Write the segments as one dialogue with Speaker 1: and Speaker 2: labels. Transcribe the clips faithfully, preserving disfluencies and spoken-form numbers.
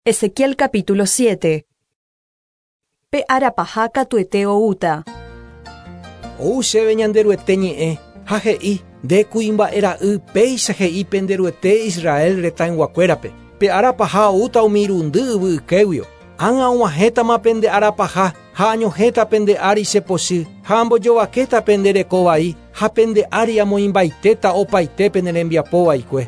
Speaker 1: Ezequiel capítulo siete. Pe arapaha katuete oúta.
Speaker 2: Ou chéve Ñanderuete ñe'ẽ ha he'i nde kuimba'e ra'y péicha he'i penderuete Israel retãyguakuérape. Pe arapaha oúta umi irundy yvy ykéguio. Ág̃a og̃uahẽtama pende arapaha ha añohẽta pende ári che pochy ha ambojovakéta pende reko vai ha pende ári amoĩmbaitéta opaite pene rembiapo vaikue.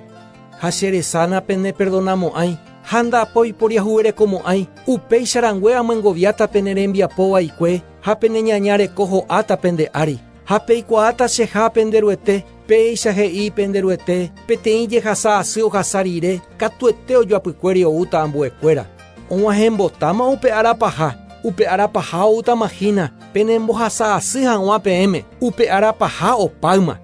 Speaker 2: Ha che resana pene perdonamo'ãi ha ndapoiporiahuverekomo'ãi upéicha rangue amyengoviáta pene rembiapo vaikue ha pene ñaña reko ho'áta pende ári. Ha peikuaáta cheha penderuete péicha he'i penderuete peteĩ jehasa asy ohasa rire katuete ojoapykuéri oúta ambuekuéra. Og̃uahẽmbotáma upe arapaha, upe arapaha oútama hína penembohasa asy hag̃ua peẽme, upe arapaha opáyma.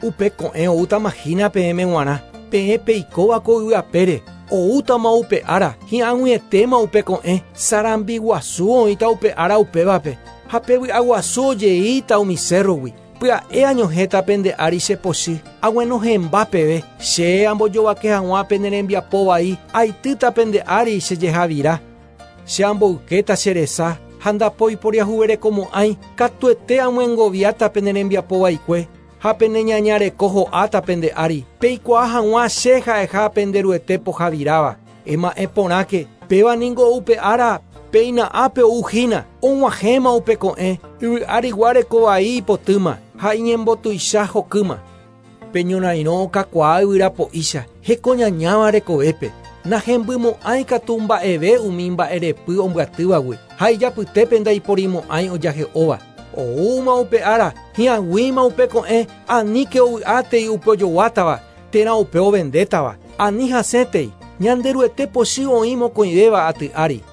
Speaker 2: Upe ko'ẽ oútama hína peẽme g̃uarã, peẽ peikóva ko yvy apére, oútama upe ára, hi'ag̃uietéma upe ko'ẽ, sarambi guasu oĩta upe ára upévape, ha pe vy'aguasu ojeíta umi cerrogui. Pya'e añohẽta pende ári che pochy, aguenohẽmba peve, che ambojovake hag̃ua pene rembiapo vai, aitýta pende ári che jehavira. Che amboykéta che resa ha ndapoiporiahuverekomo'ãi, katuete amyengoviáta pene rembiapo vaikue, ha pene ñaña reko ho'áta pende ári. Peikuaa hag̃ua che ha'eha penderuete pohaviráva. Ema'ẽ porãke, péva ningo upe ára péina ápe ou hína, og̃uahẽma upe ko'ẽ, yvy árigua reko vai ipotýma ha iñembotuicha hokýma. Peñorairõ okakuaa yvyrapo'ícha hekoñañáva rekovépe. Nahembymo'ãi katu mba'eve umi mba'erepy ombyatývagui ha ijapytépe ndaiporimo'ãi ojahe'óva. Oúma upe ára, hi'ag̃uíma upe ko'ẽ, aníke ovy'átei upe ojoguátava, térã upe ovendétava, ani hasẽtei, Ñanderuete pochy oĩ mokõivéva aty ári.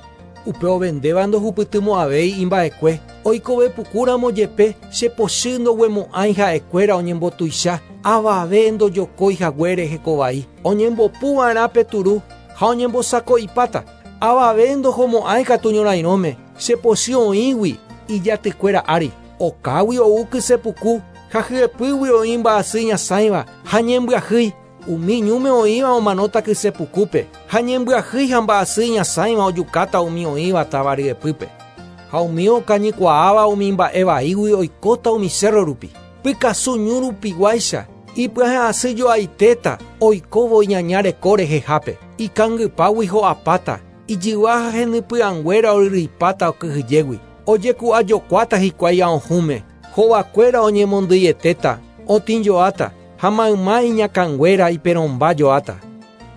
Speaker 2: Upe ovendéva ndohupytymo'ãvéi imba'ekue, oikove pukúramo jepe che pochy ndoguemo'ãi ha'ekuéra oñembotuicha, avave ndojokói haguére hekovai. Oñembopuva'erã pe turu ha oñembosako'ipáta, avave ndohomo'ãi katu ñorairõme, che pochy oĩgui ijatykuéra ári. Okágui ou kysepuku ha hyepýgui oĩ mba'asy ñasãiva ha ñembyahýi. Umi ñúme oĩva omanóta kysepukúpe ha ñembyahýi ha mba'asy ñasãiva ojukáta umi oĩva táva ryepýpe. Ha umi okañykuaáva umi mba'e vaígui oikóta umi cerro rupi. Pykasu ñu rupiguáicha ipyahẽ asy joaitéta oikóvo iñaña reko rehehápe. Ikangypágui ho'apáta, ijyva ha henypy'ãnguéra oryryipáta okyhyjégui. Ojeku'ajokuáta hikuái aohũme, hovakuéra oñemondýietéta, otĩjoáta, ha mayma iñakãnguéra iperõmba joáta.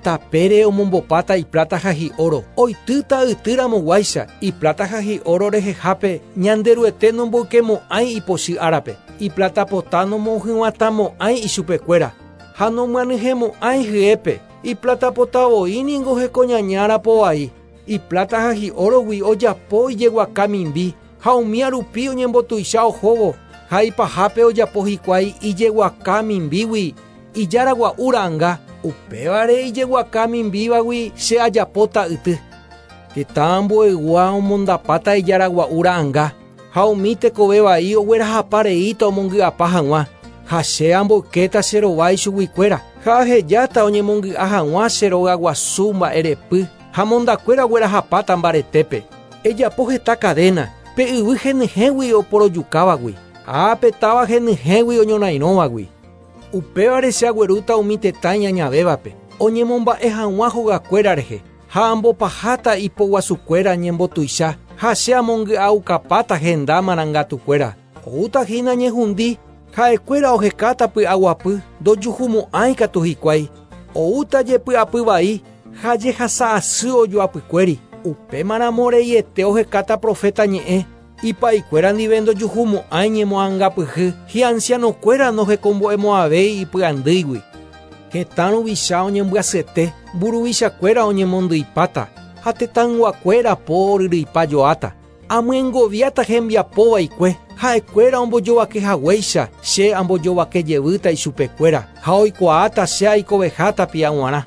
Speaker 2: Tapére omombopáta iplata ha hi'oro, oitýta ytýramoguáicha, iplata ha hi'oro rehehápe Ñanderuete nomboykemo'ãi ipochy árape, iplatapota nomohyg̃uatãmo'ãi ichupekuéra, ha nomyanyhẽmo'ãi hyépe, iplatapota voi ningo hekoñañárapo vai, iplata ha hi'orogui ojapo ijeguaka mimbi, ha umía rupi oñembotuicha ohóvo, ha ipahápe ojapo hikuái ijeguaka mimbígui, ijáragua'u ra'ãnga, upévare ijeguaka mimbívagui che ajapóta yty. Tetã ambueygua omondapáta ijáragua'u ra'ãnga, ha umi tekove vai oguerahapa reíta omongy'apa hag̃ua, ha che amboykéta che rovái chuguikuéra, ha ahejáta oñemongy'a hag̃ua che rogaguasu mba'erepy, ha mondakuéra oguerahapáta mbaretépe. Ejapo heta cadena, pe yvy henyhẽgui oporojukávagui, ha pe táva henyhẽgui oñorairõvagui. Upévare che aguerúta umi tetã iñañavévape, oñemomba'e hag̃ua hogakuéra rehe, ha ambopaháta ipoguasukuéra ñembotuicha, ha che amongy'aukapáta henda marangatukuéra. Oúta hína ñehundi, ha'ekuéra ohekáta py'aguapy, ndojuhumo'ãi katu hikuái. Oúta jepy'apy vai, ha jehasa asy ojoapykuéri. Upémaramo reiete ohekáta profeta ñe'ẽ, ipaikuéra ndive ndojuhumo'ãi ñemoangapyhy, hi'ancianokuéra nohekombo'emo'ãvéi ipy'andýigui. Hetã ruvicha oñembyasyete, mburuvichakuéra oñemondyipáta, ha tetãyguakuéra po oryryipa joáta. Amyengoviáta hembiapo vaikue, ha'ekuéra ombojovake haguéicha, che ambojovake jevýta ichupekuéra, ha oikuaáta che aikoveha tapia g̃uarã.